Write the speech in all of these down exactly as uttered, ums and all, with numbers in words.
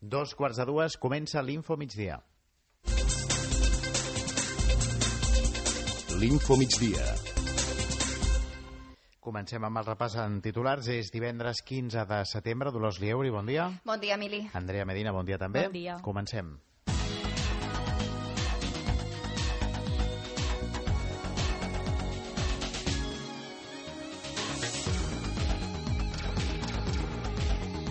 Dos quarts de dues, comença l'Info Migdia. L'Info Migdia. Comencem amb el repàs en titulars. És divendres quinze de setembre. Dolors Lieuri, bon dia. Bon dia, Emili. Andrea Medina, bon dia també. Bon dia. Comencem.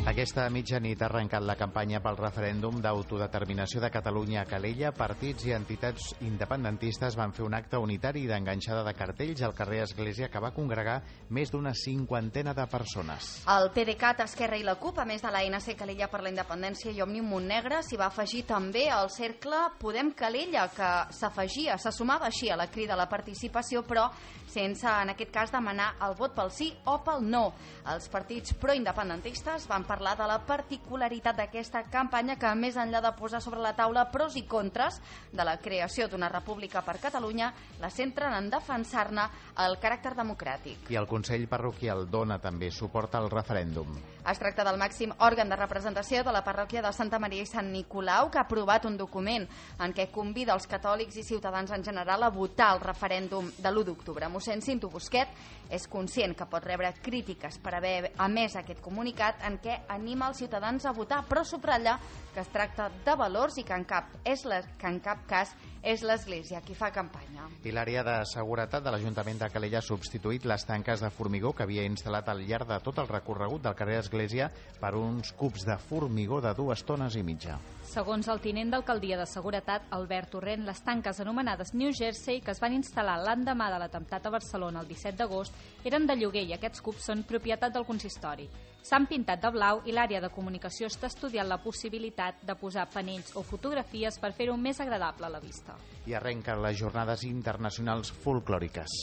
Aquesta mitjanit ha arrencat la campanya pel referèndum d'autodeterminació de Catalunya a Calella. Partits i entitats independentistes van fer un acte unitari d'enganxada de cartells al carrer Església que va congregar més d'una cinquantena de persones. El PDeCAT, Esquerra i la CUP, a més de l'A N C Calella per la Independència i Òmnium Montnegre, s'hi va afegir també el cercle Podem Calella, que s'afegia, se sumava així a la crida a la participació, però sense, en aquest cas, demanar el vot pel sí o pel no. Els partits proindependentistes van parlar de la particularitat d'aquesta campanya que, més enllà de posar sobre la taula pros i contres de la creació d'una república per Catalunya, la centren en defensar-ne el caràcter democràtic. I el Consell Parroquial dona també suport al referèndum. Es tracta del màxim òrgan de representació de la parròquia de Santa Maria i Sant Nicolau, que ha aprovat un document en què convida els catòlics i ciutadans en general a votar el referèndum de l'u d'octubre. Mossèn Cinto Busquet és conscient que pot rebre crítiques per haver emès aquest comunicat en què anima els ciutadans a votar, però subratlla que es tracta de valors i que en cap, és la, que en cap cas és l'Església qui fa campanya. I l'àrea de seguretat de l'Ajuntament de Calella ha substituït les tanques de formigó que havia instal·lat al llarg de tot el recorregut del carrer Església per uns cubs de formigó de dues tones i mitja. Segons el tinent d'alcaldia de Seguretat, Albert Torrent, les tanques anomenades New Jersey, que es van instal·lar l'endemà de l'atemptat a Barcelona el disset d'agost, eren de lloguer i aquests cubs són propietat del consistori. S'han pintat de blau i l'àrea de comunicació està estudiant la possibilitat de posar panells o fotografies per fer-ho més agradable a la vista. I arrenquen les jornades internacionals folclòriques.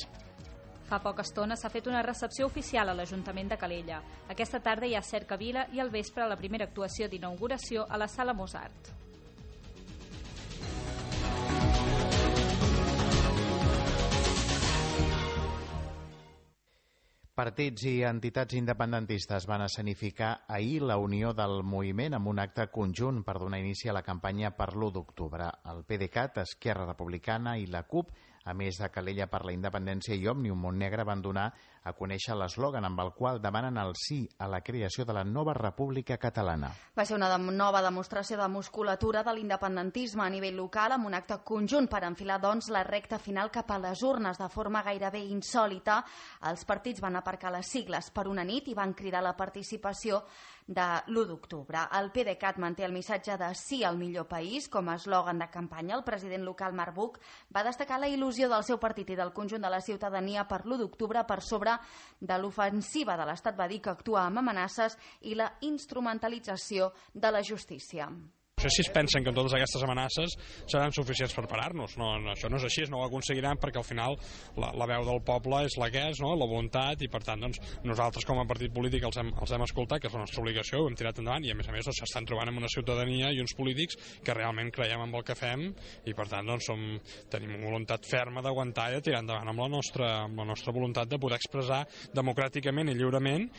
Fa poca estona s'ha fet una recepció oficial a l'Ajuntament de Calella. Aquesta tarda hi ha cercavila i al vespre la primera actuació d'inauguració a la Sala Mozart. Partits i entitats independentistes van escenificar ahir la unió del moviment amb un acte conjunt per donar inici a la campanya per l'u d'octubre. El PDeCAT, Esquerra Republicana i la CUP, a més de Calella per la Independència i Òmnium Montnegre, van donar a conèixer l'eslògan amb el qual demanen el sí a la creació de la nova República Catalana. Va ser una de nova demostració de musculatura de l'independentisme a nivell local, amb un acte conjunt per enfilar doncs la recta final cap a les urnes de forma gairebé insòlita. Els partits van aparcar les sigles per una nit i van cridar la participació de l'u d'octubre. El PDeCAT manté el missatge de sí al millor país com a eslògan de campanya. El president local Marc Buch va destacar la il·lusió del seu partit i del conjunt de la ciutadania per l'u d'octubre per sobre de l'ofensiva de l'Estat. Va dir que actua amb amenaces i la instrumentalització de la justícia. No sé si es pensen que totes aquestes amenaces seran suficients per parar-nos. No, no, això no és així, no ho aconseguiran perquè al final la, la veu del poble és la que és, no? La voluntat, i per tant doncs, nosaltres com a partit polític els hem, els hem escoltat, que és la nostra obligació, ho hem tirat endavant, i a més a més doncs, s'estan trobant amb una ciutadania i uns polítics que realment creiem en el que fem i per tant doncs, som, tenim una voluntat ferma d'aguantar i de tirar endavant amb la, nostra, amb la nostra voluntat de poder expressar democràticament i lliurement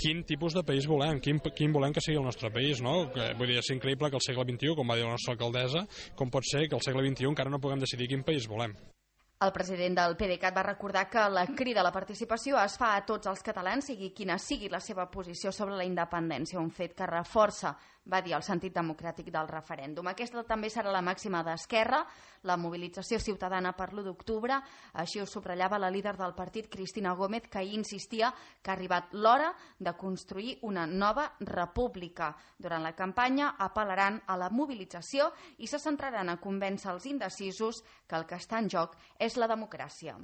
quin tipus de país volem, quin, quin volem que sigui el nostre país, no? Que, vull dir, és increïble que al segle vint-i-u, com va dir la nostra alcaldessa, com pot ser que al segle vint-i-u encara no puguem decidir quin país volem. El president del PDeCAT va recordar que la crida a la participació es fa a tots els catalans, sigui quina sigui la seva posició sobre la independència, un fet que reforça, va dir, el sentit democràtic del referèndum. Aquesta també serà la màxima d'Esquerra, la mobilització ciutadana per l'u d'octubre. Així ho subratllava la líder del partit, Cristina Gómez, que hi insistia que ha arribat l'hora de construir una nova república. Durant la campanya apel·laran a la mobilització i se centraran a convèncer els indecisos que el que està en joc és la democràcia.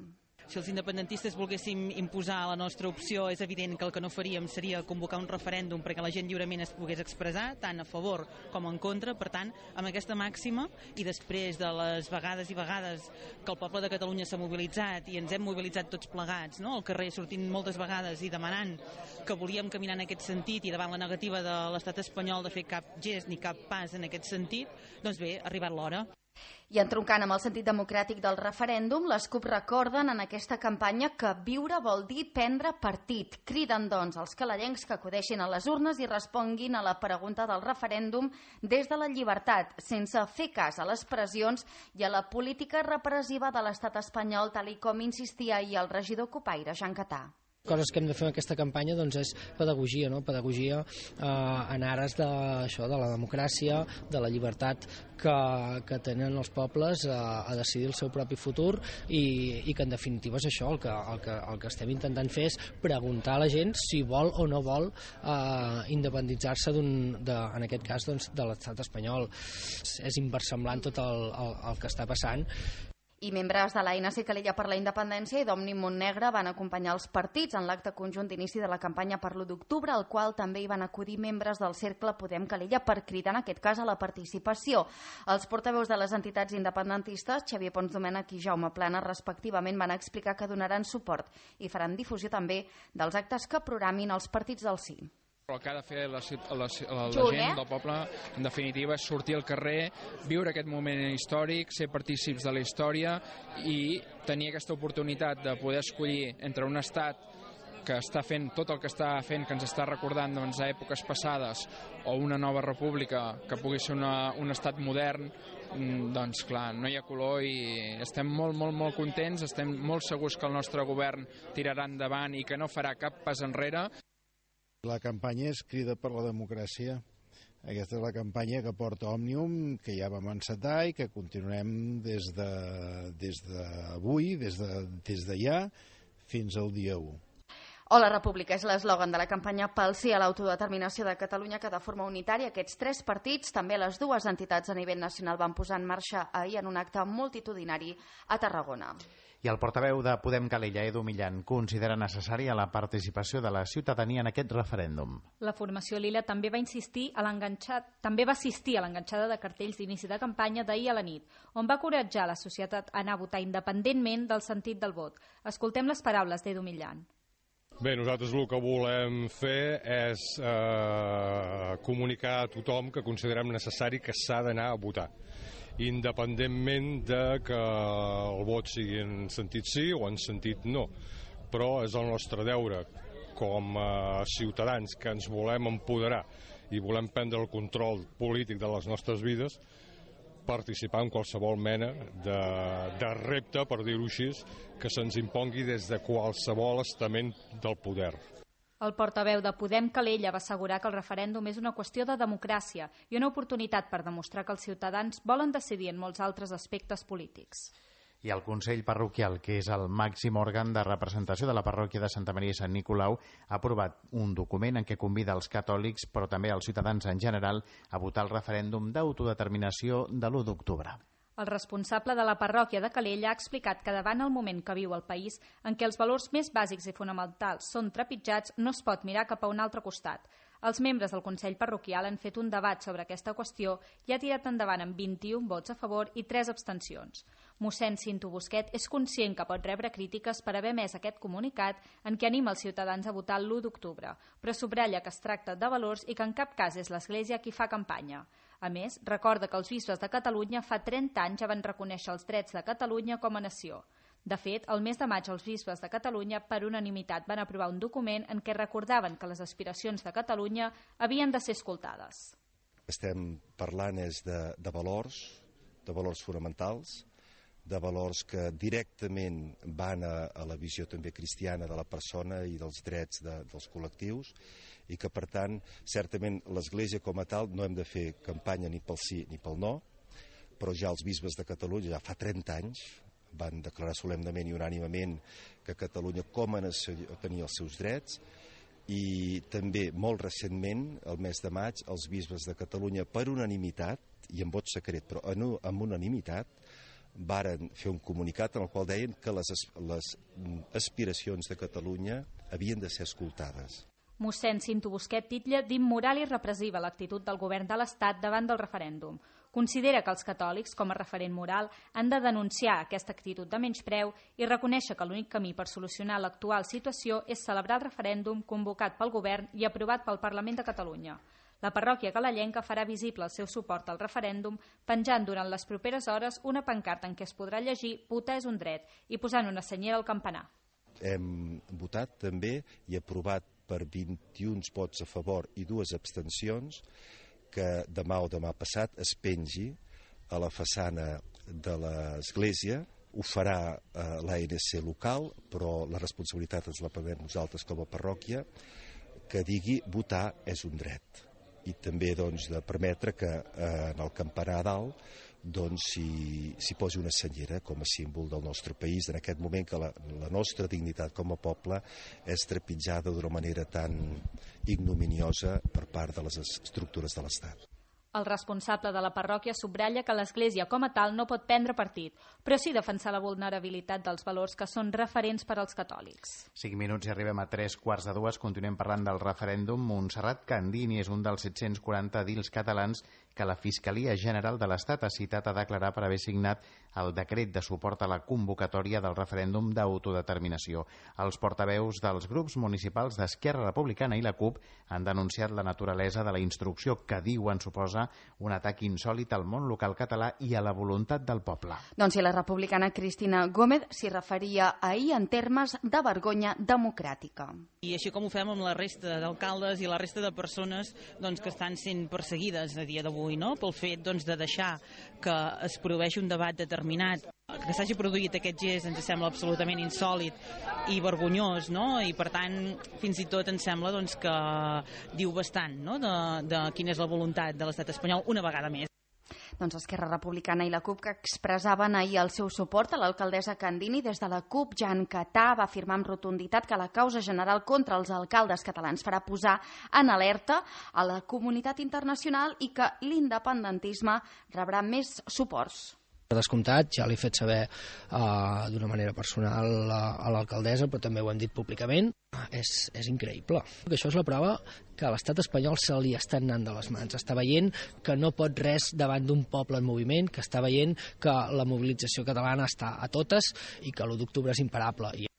Si els independentistes volguéssim imposar la nostra opció, és evident que el que no faríem seria convocar un referèndum perquè la gent lliurement es pogués expressar, tant a favor com en contra. Per tant, amb aquesta màxima, i després de les vegades i vegades que el poble de Catalunya s'ha mobilitzat i ens hem mobilitzat tots plegats, no?, al carrer sortint moltes vegades i demanant que volíem caminar en aquest sentit i davant la negativa de l'estat espanyol de fer cap gest ni cap pas en aquest sentit, doncs bé, ha arribat l'hora. I entroncant amb el sentit democràtic del referèndum, les CUP recorden en aquesta campanya que viure vol dir prendre partit. Criden, doncs, als calalencs que acudeixin a les urnes i responguin a la pregunta del referèndum des de la llibertat, sense fer cas a les pressions i a la política repressiva de l'estat espanyol, tal i com insistia ahir el regidor cupaire Jean Catà. Coses que hem de fer en aquesta campanya doncs, és pedagogia, no? pedagogia eh, en ares de, això, de la democràcia, de la llibertat que, que tenen els pobles a, a decidir el seu propi futur i, i que en definitiva és això, el que, el, que, el que estem intentant fer és preguntar a la gent si vol o no vol eh, independitzar-se d'un, de, en aquest cas doncs, de l'estat espanyol. És inversemblant tot el, el, el que està passant. I membres de l'A N C Calella per la Independència i d'Òmnium Montnegre van acompanyar els partits en l'acte conjunt d'inici de la campanya per l'u d'octubre, al qual també hi van acudir membres del Cercle Podem Calella per cridar, en aquest cas, a la participació. Els portaveus de les entitats independentistes, Xavier Pons Domènech i Jaume Plana, respectivament, van explicar que donaran suport i faran difusió també dels actes que programin els partits del sí. El que ha de fer la, la, la, la gent del poble, en definitiva, és sortir al carrer, viure aquest moment històric, ser partícips de la història i tenir aquesta oportunitat de poder escollir entre un estat que està fent tot el que està fent, que ens està recordant doncs, a èpoques passades, o una nova república que pugui ser una, un estat modern, doncs clar, no hi ha color i estem molt, molt, molt contents, estem molt segurs que el nostre govern tirarà endavant i que no farà cap pas enrere. La campanya és Crida per la Democràcia. Aquesta és la campanya que porta Òmnium, que ja vam encetar i que continuem des de, des d'avui, des de, des d'allà, fins al dia u. O la República és l'eslògan de la campanya pel sí a l'autodeterminació de Catalunya, que de forma unitària aquests tres partits, també les dues entitats a nivell nacional, van posar en marxa ahir en un acte multitudinari a Tarragona. I el portaveu de Podem Calella, Edu Millan, considera necessària la participació de la ciutadania en aquest referèndum. La formació Lila també va insistir a l'enganxat, també va assistir a l'enganxada de cartells d'inici de campanya d'ahir a la nit, on va encoratjar la societat a anar a votar independentment del sentit del vot. Escoltem les paraules d'Edu Millan. Bé, nosaltres el que volem fer és eh, comunicar a tothom que considerem necessari que s'ha d'anar a votar, independentment de que el vot sigui en sentit sí o en sentit no. Però és el nostre deure com a ciutadans que ens volem empoderar i volem prendre el control polític de les nostres vides, participar en qualsevol mena de, de repte, per dir-ho així, que se'ns impongui des de qualsevol estament del poder. El portaveu de Podem Calella va assegurar que el referèndum és una qüestió de democràcia i una oportunitat per demostrar que els ciutadans volen decidir en molts altres aspectes polítics. I el Consell Parroquial, que és el màxim òrgan de representació de la parròquia de Santa Maria i Sant Nicolau, ha aprovat un document en què convida els catòlics, però també els ciutadans en general, a votar el referèndum d'autodeterminació de l'u d'octubre. El responsable de la parròquia de Calella ha explicat que davant el moment que viu el país, en què els valors més bàsics i fonamentals són trepitjats, no es pot mirar cap a un altre costat. Els membres del Consell Parroquial han fet un debat sobre aquesta qüestió i ha tirat endavant amb vint-i-un vots a favor i tres abstencions. Mossèn Cinto Busquet és conscient que pot rebre crítiques per haver emès aquest comunicat en què anima els ciutadans a votar l'u d'octubre, però subratlla que es tracta de valors i que en cap cas és l'Església qui fa campanya. A més, recorda que els bisbes de Catalunya fa trenta anys ja van reconèixer els drets de Catalunya com a nació. De fet, el mes de maig els bisbes de Catalunya per unanimitat van aprovar un document en què recordaven que les aspiracions de Catalunya havien de ser escoltades. Estem parlant és de, de valors, de valors fonamentals, de valors que directament van a, a la visió també cristiana de la persona i dels drets de, dels col·lectius, i que, per tant, certament l'Església com a tal no hem de fer campanya ni pel sí ni pel no, però ja els bisbes de Catalunya, ja fa trenta anys, van declarar solemnement i unànimement que Catalunya com a nació tenia els seus drets, i també molt recentment, el mes de maig, els bisbes de Catalunya per unanimitat, i en vot secret, però en, en unanimitat, varen fer un comunicat en el qual deien que les, les aspiracions de Catalunya havien de ser escoltades. Mossèn Cinto Busquet titlla d'immoral i repressiva l'actitud del govern de l'Estat davant del referèndum. Considera que els catòlics, com a referent moral, han de denunciar aquesta actitud de menyspreu i reconèixer que l'únic camí per solucionar l'actual situació és celebrar el referèndum convocat pel govern i aprovat pel Parlament de Catalunya. La parròquia calellenca farà visible el seu suport al referèndum penjant durant les properes hores una pancarta en què es podrà llegir «Votar és un dret» i posant una senyera al campanar. Hem votat també i aprovat per vint-i-un vots a favor i dues abstencions que demà o demà passat es pengi a la façana de l'església. Ho farà eh, l'A N C local, però la responsabilitat ens la prenem nosaltres com a parròquia, que digui votar és un dret. I també doncs, de permetre que eh, en el campanar dalt doncs, s'hi si posi una senyera com a símbol del nostre país en aquest moment que la, la nostra dignitat com a poble és trepitjada d'una manera tan ignominiosa per part de les estructures de l'Estat. El responsable de la parròquia subratlla que l'Església com a tal no pot prendre partit, però sí defensar la vulnerabilitat dels valors que són referents per als catòlics. Cinc minuts i arribem a tres quarts de dues. Continuem parlant del referèndum. Montserrat Candini és un dels set-cents quaranta edils catalans que la Fiscalia General de l'Estat ha citat a declarar per haver signat el decret de suport a la convocatòria del referèndum d'autodeterminació. Els portaveus dels grups municipals d'Esquerra Republicana i la CUP han denunciat la naturalesa de la instrucció que diuen suposa un atac insòlit al món local català i a la voluntat del poble. Doncs si la republicana Cristina Gómez s'hi referia ahir en termes de vergonya democràtica. I així com ho fem amb la resta d'alcaldes i la resta de persones doncs, que estan sent perseguides a dia d'avui, no? Pel fet doncs, de deixar que es produeixi un debat determinat. Que s'hagi produït aquest gest ens sembla absolutament insòlit i vergonyós, no? I per tant fins i tot ens sembla doncs, que diu bastant, no? de, de quina és la voluntat de l'estat espanyol una vegada més. Doncs Esquerra Republicana i la CUP que expressaven ahir el seu suport a l'alcaldessa Candini. Des de la CUP, Jan Catà va afirmar amb rotunditat que la causa general contra els alcaldes catalans farà posar en alerta a la comunitat internacional i que l'independentisme rebrà més suports. Per descomptat, ja l'he fet saber uh, d'una manera personal a, a l'alcaldessa, però també ho hem dit públicament. És, és increïble. Això és la prova que l'estat espanyol se li està anant de les mans. Està veient que no pot res davant d'un poble en moviment, que està veient que la mobilització catalana està a totes i que l'u d'octubre és imparable. I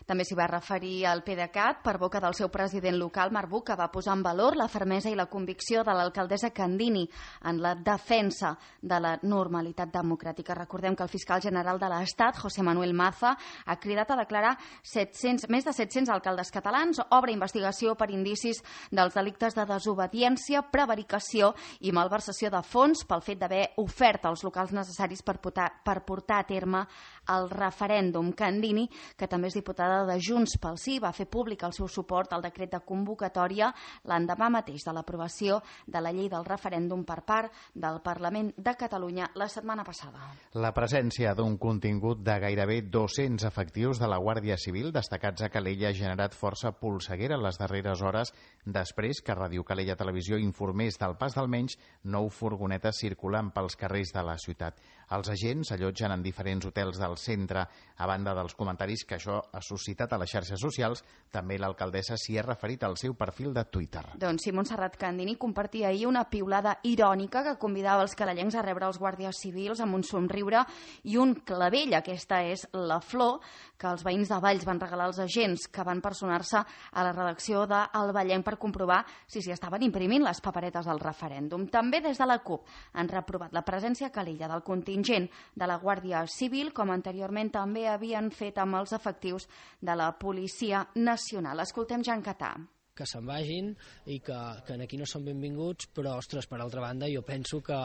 també s'hi va referir al PDeCAT per boca del seu president local, Marc Buch, que va posar en valor la fermesa i la convicció de l'alcaldessa Candini en la defensa de la normalitat democràtica. Recordem que el fiscal general de l'Estat, José Manuel Maza, ha cridat a declarar set-cents, més de set-cents alcaldes catalans, obre investigació per indicis dels delictes de desobediència, prevaricació i malversació de fons pel fet d'haver ofert els locals necessaris per portar, per portar a terme el referèndum. Candini, que també és diputada de Junts pel Sí, va fer públic el seu suport al decret de convocatòria l'endemà mateix de l'aprovació de la llei del referèndum per part del Parlament de Catalunya la setmana passada. La presència d'un contingut de gairebé dos-cents efectius de la Guàrdia Civil destacats a Calella ha generat força polseguera en les darreres hores després que Ràdio Calella Televisió informés del pas d'almenys nou furgonetes circulant pels carrers de la ciutat. Els agents allotgen en diferents hotels del centre. A banda dels comentaris que això ha suscitat a les xarxes socials, també l'alcaldessa s'hi ha referit al seu perfil de Twitter. Doncs sí, Montserrat Candini compartia ahir una piulada irònica que convidava els calellencs a rebre els guàrdies civils amb un somriure i un clavell. Aquesta és la flor que els veïns de Valls van regalar als agents que van personar-se a la redacció de El Vallenc per comprovar si s'hi estaven imprimint les paperetes del referèndum. També des de la CUP han reprovat la presència a Calella del contingent de la Guàrdia Civil, com anteriorment també havien fet amb els efectius de la Policia Nacional. Escoltem Jan Catà. Que se'n vagin i que, que aquí no són benvinguts, però, ostres, per altra banda, jo penso que,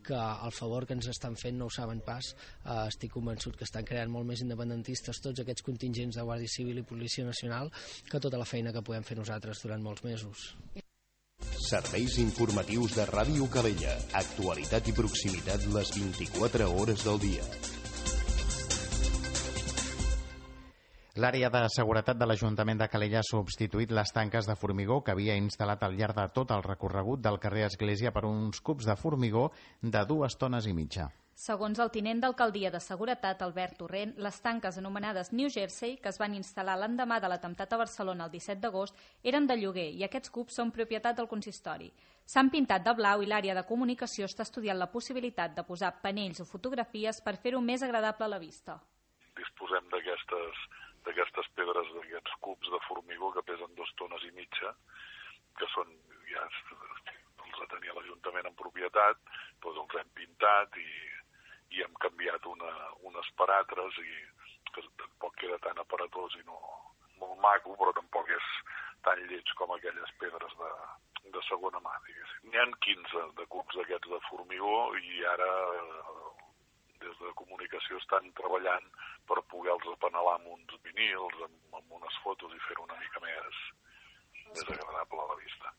que el favor que ens estan fent no ho saben pas. Uh, estic convençut que estan creant molt més independentistes tots aquests contingents de Guàrdia Civil i Policia Nacional que tota la feina que podem fer nosaltres durant molts mesos. Serveis informatius de Ràdio Calella. Actualitat i proximitat les vint-i-quatre hores del dia. L'àrea de seguretat de l'Ajuntament de Calella ha substituït les tanques de formigó que havia instal·lat al llarg de tot el recorregut del carrer Església per uns cubs de formigó de dues tones i mitja. Segons el tinent d'alcaldia de Seguretat, Albert Torrent, les tanques anomenades New Jersey, que es van instal·lar l'endemà de l'atemptat a Barcelona el disset d'agost, eren de lloguer i aquests cubs són propietat del consistori. S'han pintat de blau i l'àrea de comunicació està estudiant la possibilitat de posar panells o fotografies per fer-ho més agradable a la vista. Disposem d'aquestes d'aquestes pedres, d'aquests cubs de formigó que pesen dues tones i mitja, que són ja retenia l'Ajuntament en propietat, doncs els hem pintat i, i hem canviat una, unes paràtres i que tampoc queda tan aparatós i no molt maco, però tampoc és tan lleig com aquelles pedres de, de segona mà, diguéssim. N'hi ha quinze de cubs d'aquests de formigó i ara des de comunicació estan treballant per poder-los apenalar amb uns vinils, amb, amb unes fotos i fer-ho una mica més, més agradable a la vista.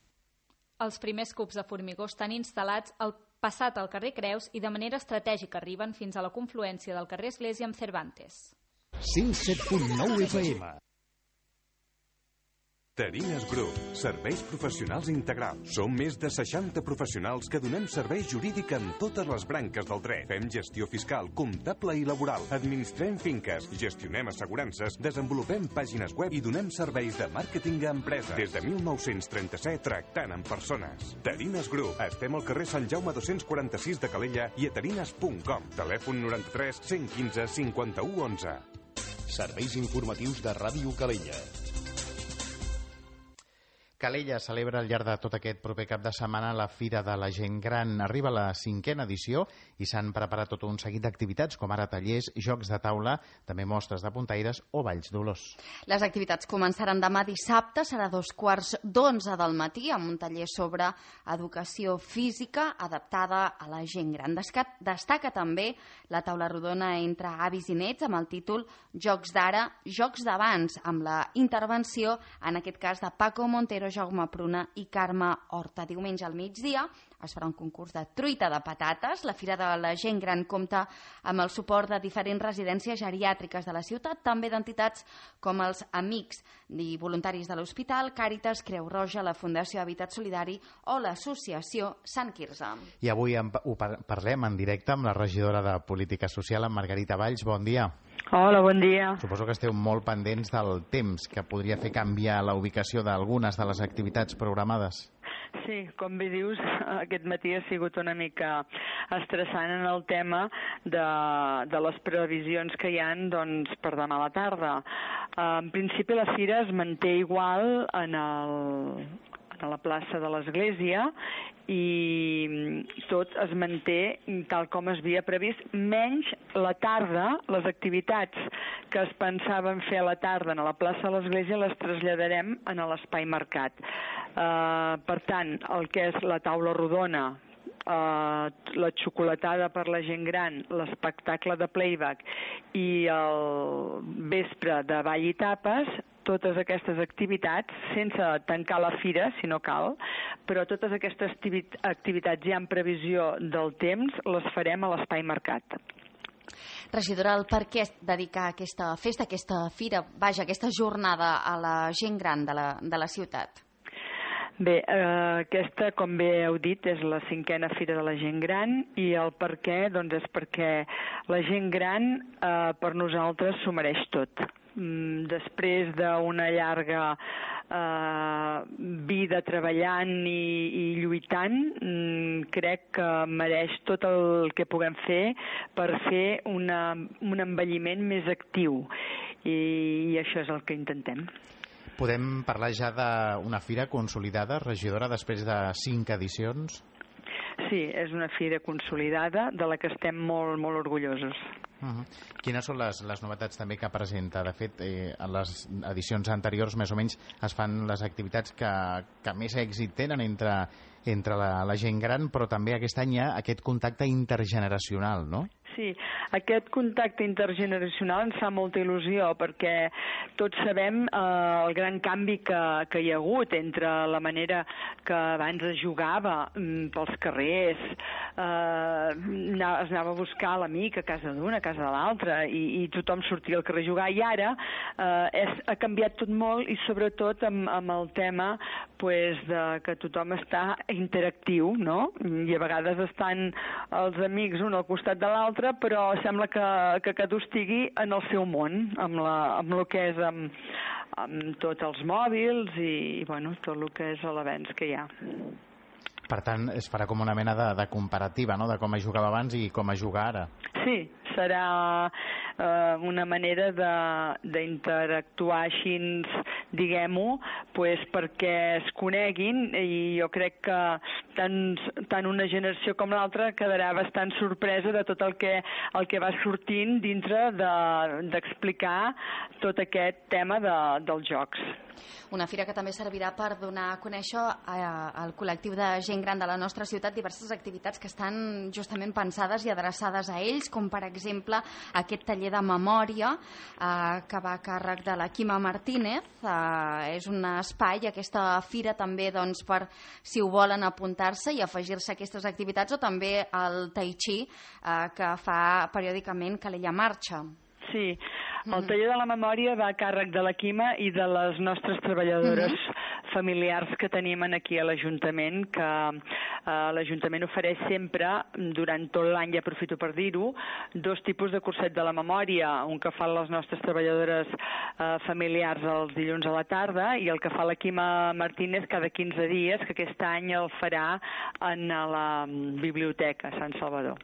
Els primers cubs de formigó estan instal·lats al passat al carrer Creus i de manera estratègica arriben fins a la confluència del carrer Església amb Cervantes. cent set punt nou F M. Tarines Group, serveis professionals integrals. Som més de seixanta professionals que donem servei jurídic en totes les branques del dret. Fem gestió fiscal, comptable i laboral. Administrem finques, gestionem assegurances, desenvolupem pàgines web i donem serveis de màrqueting a empreses. Des de mil nou-cents trenta-set tractant amb persones. Tarines Group. Estem al carrer Sant Jaume dos-cents quaranta-sis de Calella i a tarines punt com. Telèfon noranta-tres cent quinze cinquanta-u onze. Serveis informatius de Ràdio Calella. Calella celebra al llarg de tot aquest proper cap de setmana la Fira de la Gent Gran. Arriba la cinquena edició i s'han preparat tot un seguit d'activitats, com ara tallers, jocs de taula, també mostres de puntaires o balls d'olors. Les activitats començaran demà dissabte, serà dos quarts d'onze del matí, amb un taller sobre educació física adaptada a la gent gran. Destaca també la taula rodona entre avis i nets amb el títol Jocs d'ara, Jocs d'abans, amb la intervenció, en aquest cas, de Paco Montero, Jaume Pruna i Carme Horta. Diumenge al migdia es farà un concurs de truita de patates. La Fira de la Gent Gran compta amb el suport de diferents residències geriàtriques de la ciutat, també d'entitats com els Amics i Voluntaris de l'Hospital, Càritas, Creu Roja, la Fundació Habitat Solidari o l'Associació Sant Quirze. I avui ho parlem en directe amb la regidora de Política Social, en Margarita Valls. Bon dia. Hola, bon dia. Suposo que esteu molt pendents del temps que podria fer canviar la ubicació d'algunes de les activitats programades. Sí, com bé dius, aquest matí ha sigut una mica estressant en el tema de, de les previsions que hi ha, doncs, per demà a la tarda. En principi la fira es manté igual en el... a la plaça de l'Església i tot es manté tal com es havia previst, menys la tarda, les activitats que es pensaven fer a la tarda a la plaça de l'Església les traslladarem a l'Espai Mercat. Uh, per tant, el que és la taula rodona, Uh, la xocolatada per la gent gran, l'espectacle de playback i el vespre de ball i tapes, totes aquestes activitats, sense tancar la fira, si no cal, però totes aquestes activitats ja en previsió del temps les farem a l'Espai Mercat. Regidora, el per què dedicar aquesta festa, aquesta fira, vaja, aquesta jornada a la gent gran de la, de la ciutat? Bé, eh, aquesta, com bé heu dit, és la cinquena Fira de la Gent Gran i el per què, doncs és perquè la gent gran eh, per nosaltres s'ho mereix tot. Mm, després d'una llarga eh, vida treballant i, i lluitant, mm, crec que mereix tot el que puguem fer per fer una, un envelliment més actiu i, i això és el que intentem. Podem parlar ja d'una fira consolidada, regidora, després de cinc edicions? Sí, és una fira consolidada de la que estem molt, molt orgullosos. Uh-huh. Quines són les, les novetats també que presenta? De fet, eh, en les edicions anteriors més o menys es fan les activitats que, que més èxit tenen entre, entre la, la gent gran, però també aquest any hi ha aquest contacte intergeneracional, no? Sí, aquest contacte intergeneracional ens fa molta il·lusió perquè tots sabem eh, el gran canvi que, que hi ha hagut entre la manera que abans es jugava mm, pels carrers, eh, es anava a buscar l'amic a casa d'una, a casa de l'altra i, i tothom sortia al carrer a jugar i ara eh, és, ha canviat tot molt i sobretot amb, amb el tema pues, de que tothom està interactiu, no? I a vegades estan els amics un al costat de l'altre però sembla que, que cadascú estigui en el seu món, amb, la, amb el que és amb, amb tots els mòbils i, i bueno, tot el que és l'avenç que hi ha. Per tant, es farà com una mena de, de comparativa, no?, de com es jugava abans i com es juga ara. Sí, serà eh, una manera d'interactuar així, diguem-ho, pues, perquè es coneguin, i jo crec que tant, tant una generació com l'altra quedarà bastant sorpresa de tot el que, el que va sortint dintre d'explicar de, tot aquest tema de, dels jocs. Una fira que també servirà per donar a conèixer al col·lectiu de gent gran de la nostra ciutat diverses activitats que estan justament pensades i adreçades a ells, com per exemple aquest taller de memòria eh, que va a càrrec de la Quima Martínez. Eh, és un espai, aquesta fira també, doncs, per si ho volen apuntar-se i afegir-se a aquestes activitats, o també el Tai Chi eh, que fa periòdicament Calella Marxa. Sí, el taller de la memòria va a càrrec de la Quima i de les nostres treballadores uh-huh. familiars que tenim aquí a l'Ajuntament, que eh, l'Ajuntament ofereix sempre, durant tot l'any, i aprofito per dir-ho, dos tipus de curset de la memòria, un que fan les nostres treballadores eh, familiars els dilluns a la tarda i el que fa la Quima Martínez cada quinze dies, que aquest any el farà en la biblioteca Sant Salvador.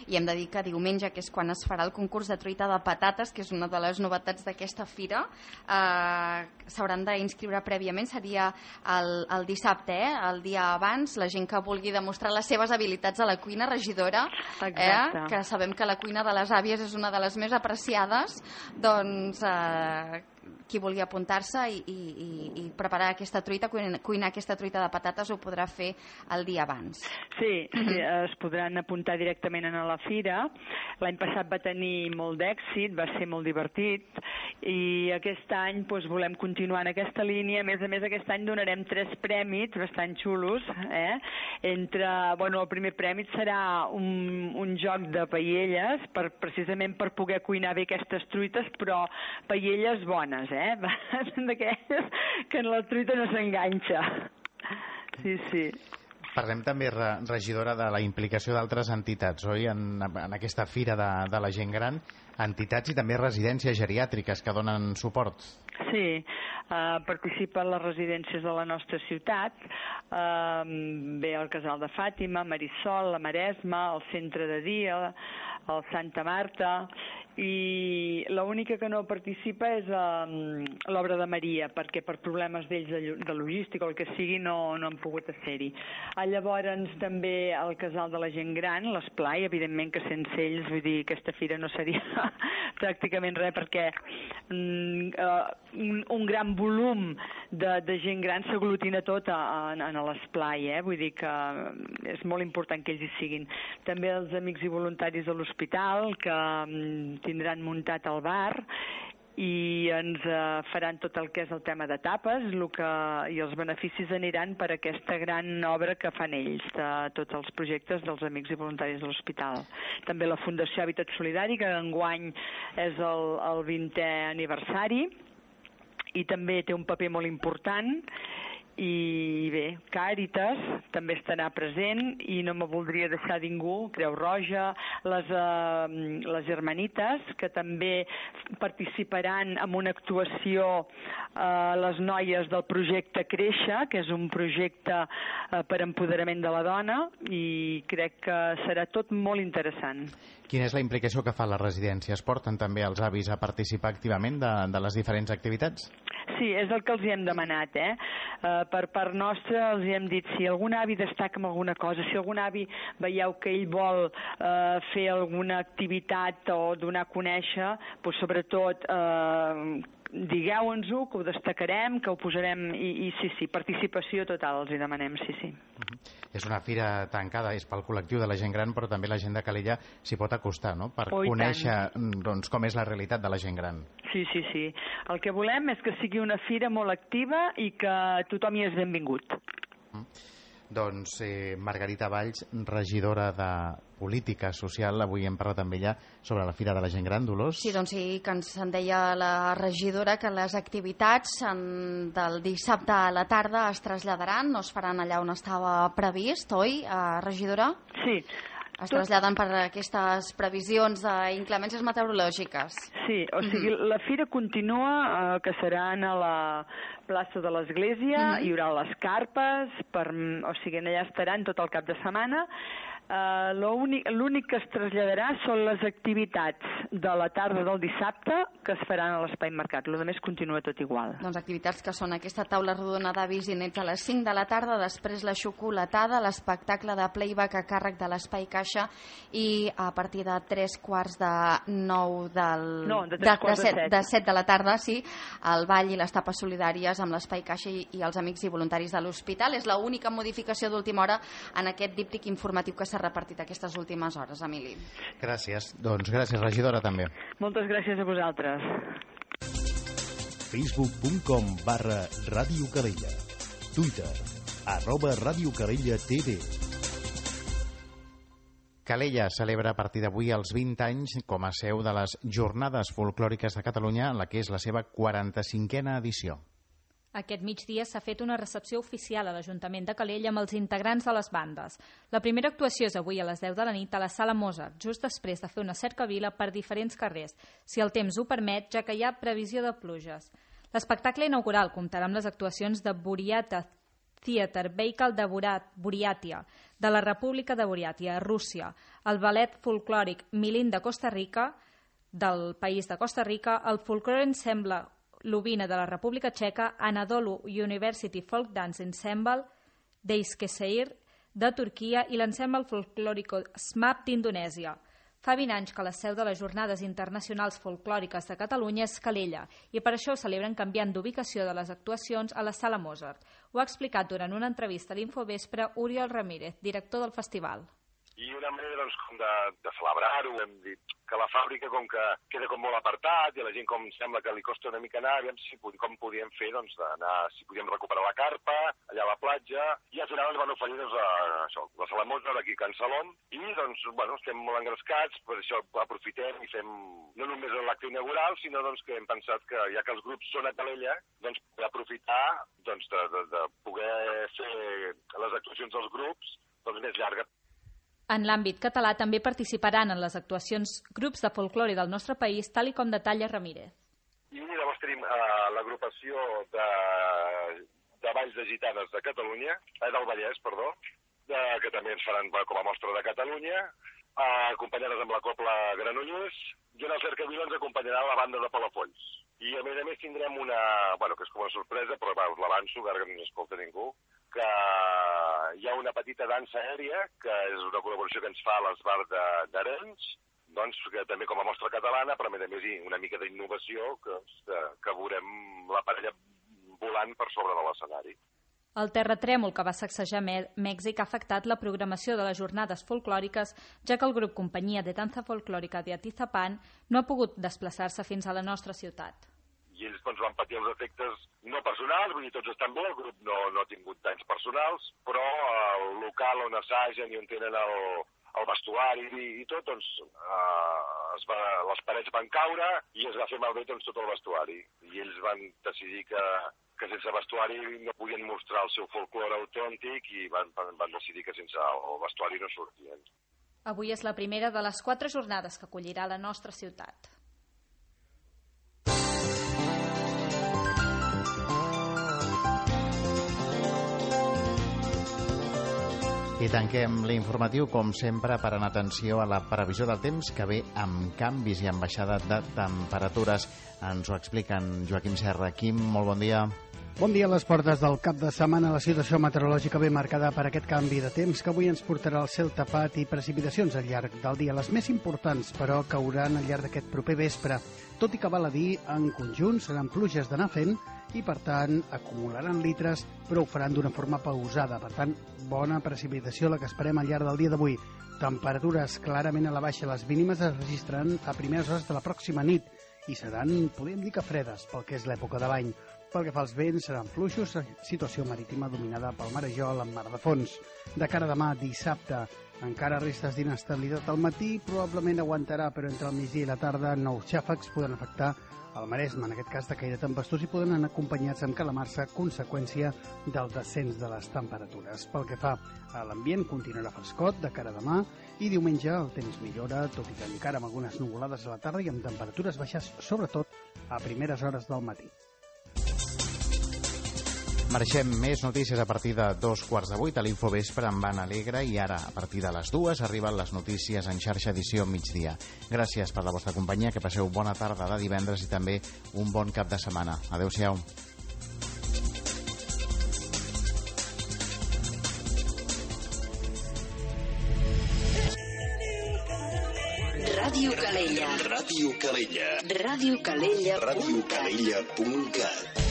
I hem de dir que diumenge, que és quan es farà el concurs de truita de patates, que és una de les novetats d'aquesta fira, eh, s'hauran d'inscriure prèviament, seria el, el dissabte, eh, el dia abans, la gent que vulgui demostrar les seves habilitats a la cuina, regidora, eh, que sabem que la cuina de les àvies és una de les més apreciades, doncs eh, qui vulgui apuntar-se i, i, i preparar aquesta truita, cuinar, cuinar aquesta truita de patates, ho podrà fer el dia abans. Sí, sí, es podran apuntar directament a la fira. L'any passat va tenir molt d'èxit, va ser molt divertit, i aquest any doncs, volem continuar en aquesta línia. A més a més, aquest any donarem tres prèmits bastant xulos. Eh? Entre, bueno, el primer premi serà un, un joc de paelles, per, precisament per poder cuinar bé aquestes truites, però paelles bones, eh? D'aquelles que en la truita no s'enganxa. Sí, sí. Parlem també, regidora, de la implicació d'altres entitats, oi? En, en aquesta fira de, de la gent gran, entitats i també residències geriàtriques que donen suport. Sí, uh, participen les residències de la nostra ciutat, uh, bé el Casal de Fàtima, Marisol, la Maresma, el Centre de Dia, el Santa Marta, i l'única que no participa és um, l'Obra de Maria, perquè per problemes d'ells de, de logística o el que sigui no, no han pogut ser-hi. Llavors també el Casal de la Gent Gran, l'Esplai, evidentment que sense ells, vull dir, aquesta fira no seria pràcticament res, perquè um, uh, un, un gran volum de, de gent gran s'aglutina tot a, a, a l'Esplai, eh? Vull dir que és molt important que ells hi siguin. També els amics i voluntaris de l'hospital, que um, tindran muntat el bar i ens eh, faran tot el que és el tema de tapes, el que, i els beneficis aniran per aquesta gran obra que fan ells, de tots els projectes dels amics i voluntaris de l'hospital. També la Fundació Hàbitat Solidari, que enguany és el, el vintè aniversari i també té un paper molt important. I bé, Càritas també estarà present i no me voldria deixar ningú, Creu Roja, les, eh, les Germanites, que també participaran en una actuació eh, les noies del projecte Créixer, que és un projecte eh, per empoderament de la dona, i crec que serà tot molt interessant. Quina és la implicació que fa la residència? Es porten també els avis a participar activament de, de les diferents activitats? Sí, és el que els hi hem demanat, eh? Uh, per part nostra els hi hem dit, si algun avi destaca en alguna cosa, si algun avi veieu que ell vol uh, fer alguna activitat o donar a conèixer, doncs sobretot uh, digueu-nos-ho, que ho destacarem, que ho posarem, i, i sí, sí, participació total els hi demanem, sí, sí. Uh-huh. És una fira tancada, és pel col·lectiu de la gent gran, però també la gent de Calella s'hi pot acostar, no?, per oh, conèixer doncs, com és la realitat de la gent gran. Sí, sí, sí. El que volem és que sigui una fira molt activa i que tothom hi és benvingut. Uh-huh. Doncs eh, Margarita Valls, regidora de Política Social, avui hem parlat amb ella sobre la Fira de la Gent Gran, Dolors. Sí, doncs sí, que ens en deia la regidora que les activitats en, del dissabte a la tarda es traslladaran, no es faran allà on estava previst, oi, eh, regidora? Sí. Es traslladen per aquestes previsions d'inclemències meteorològiques. Sí, o sigui, la fira continua, eh, que serà a la plaça de l'Església, uh-huh. Hi haurà les carpes, per, o sigui, allà estaran tot el cap de setmana. Uh, l'únic que es traslladarà són les activitats de la tarda del dissabte que es faran a l'Espai Mercat. Lo demés continua tot igual. Doncs activitats que són aquesta taula rodona d'avis i nets a les cinc de la tarda, després la xocolatada, l'espectacle de playback a càrrec de l'Espai Caixa i a partir de tres quarts de nou del... No, de tres quarts de, de, set. de set de la tarda, sí, el ball i les tapes solidàries amb l'Espai Caixa i, i els amics i voluntaris de l'hospital. És l'única modificació d'última hora en aquest díptic informatiu que s'ha repartit aquestes últimes hores, Emili. Gràcies. Doncs gràcies, regidora, també. Moltes gràcies a vosaltres. facebook punt com barra Ràdio Calella. Twitter, arroba Ràdio Calella T V. Calella celebra a partir d'avui els vint anys com a seu de les Jornades Folclòriques de Catalunya, en la que és la seva quaranta-cinquena edició. Aquest migdia s'ha fet una recepció oficial a l'Ajuntament de Calella amb els integrants de les bandes. La primera actuació és avui a les deu de la nit a la Sala Mozart, just després de fer una cercavila per diferents carrers, si el temps ho permet, ja que hi ha previsió de pluges. L'espectacle inaugural comptarà amb les actuacions de Buryata Theater Vehicle de Buryatia, de la República de Buryatia, Rússia, el ballet folclòric Milín de Costa Rica, del país de Costa Rica, el folklore ensemble Lubina de la República Txeca, Anadolu University Folk Dance Ensemble d'Eskişehir de Turquia i l'ensemble folclòrico SMAP d'Indonèsia. Fa vint anys que la seu de les Jornades Internacionals Folclòriques de Catalunya és Calella i per això celebren canviant d'ubicació de les actuacions a la Sala Mozart. Ho ha explicat durant una entrevista a l'Infovespre Oriol Ramírez, director del festival. I una manera doncs, com de, de celebrar-ho, hem dit que la fàbrica com que queda com molt apartat i a la gent com sembla que li costa una mica anar, aviam si, com podíem fer, doncs, d'anar, si podíem recuperar la carpa, allà a la platja, i al final ens van oferir doncs, a, això, la Sala Mozart aquí a Can Salom, i doncs, bueno, estem molt engrescats, per això aprofitem i fem no només l'acte inaugural, sinó doncs, que hem pensat que ja que els grups són a Calella, doncs aprofitar doncs, de, de, de poder fer les actuacions dels grups doncs, més llargues. En l'àmbit català també participaran en les actuacions grups de folklore del nostre país, tal i com detalla Ramírez. I llavors tenim uh, l'agrupació de, de Valls de Gitanes de Catalunya, eh, del Vallès, perdó, de, que també ens faran com a mostra de Catalunya, uh, acompanyades amb la Copla Granollers, i en el cercavila ens acompanyarà la banda de Palafolls. I a més a més tindrem una, bueno, que és com una sorpresa, però va, us l'avanço, que ara que no ens escolta ningú, que hi ha una petita dansa aèria, que és una col·laboració que ens fa l'Esbar d'Arenys, doncs, que també com a mostra catalana, però a més a més una mica d'innovació, que, que, que veurem la parella volant per sobre de l'escenari. El terratrèmol que va sacsejar Mèxic ha afectat la programació de les jornades folclòriques, ja que el grup Companyia de Danza Folclòrica de Atizapán no ha pogut desplaçar-se fins a la nostra ciutat. I ells doncs, van patir els efectes no personals, vull dir, tots estan bé, el grup no, no ha tingut danys personals, però el local on assagen i on tenen el, el vestuari i, i tot, doncs, eh, es va, les parets van caure i es va fer malbé doncs, tot el vestuari. I ells van decidir que, que sense vestuari no podien mostrar el seu folklore autèntic i van, van decidir que sense el vestuari no sortien. Avui és la primera de les quatre jornades que acollirà la nostra ciutat. I tanquem l'informatiu, com sempre, per anar atenció a la previsió del temps, que ve amb canvis i amb baixada de temperatures. Ens ho expliquen Joaquim Serra. Quim, molt bon dia. Bon dia. A les portes del cap de setmana, la situació meteorològica ve marcada per aquest canvi de temps que avui ens portarà el cel tapat i precipitacions al llarg del dia. Les més importants, però, cauran al llarg d'aquest proper vespre. Tot i que val a dir, en conjunt seran pluges d'anar fent i, per tant, acumularan litres, però ho faran d'una forma pausada. Per tant, bona precipitació la que esperem al llarg del dia d'avui. Temperatures clarament a la baixa. Les mínimes es registraran a primeres hores de la pròxima nit i seran, podríem dir que fredes, pel que és l'època de l'any. Pel que fa als vents, seran fluixos, situació marítima dominada pel marejol amb mar de fons. De cara a demà, dissabte, encara restes d'inestabilitat al matí, probablement aguantarà, però entre el migdia i la tarda nous xàfecs poden afectar al Maresme, en aquest cas de caire tempestuós, i poden anar acompanyats amb calamarsa, conseqüència del descens de les temperatures. Pel que fa a l'ambient, continuarà frescot de cara a demà, i diumenge el temps millora, tot i que encara amb algunes nuvolades a la tarda i amb temperatures baixes, sobretot a primeres hores del matí. Marxem, més notícies a partir de dos quarts de vuit a l'Infovespre amb Anna Alegre i ara, a partir de les dues, arriben les notícies en xarxa edició migdia. Gràcies per la vostra companyia, que passeu bona tarda de divendres i també un bon cap de setmana. Adéu-siau. Ràdio Calella. Ràdio Calella. Ràdio Calella. ràdio calella punt cat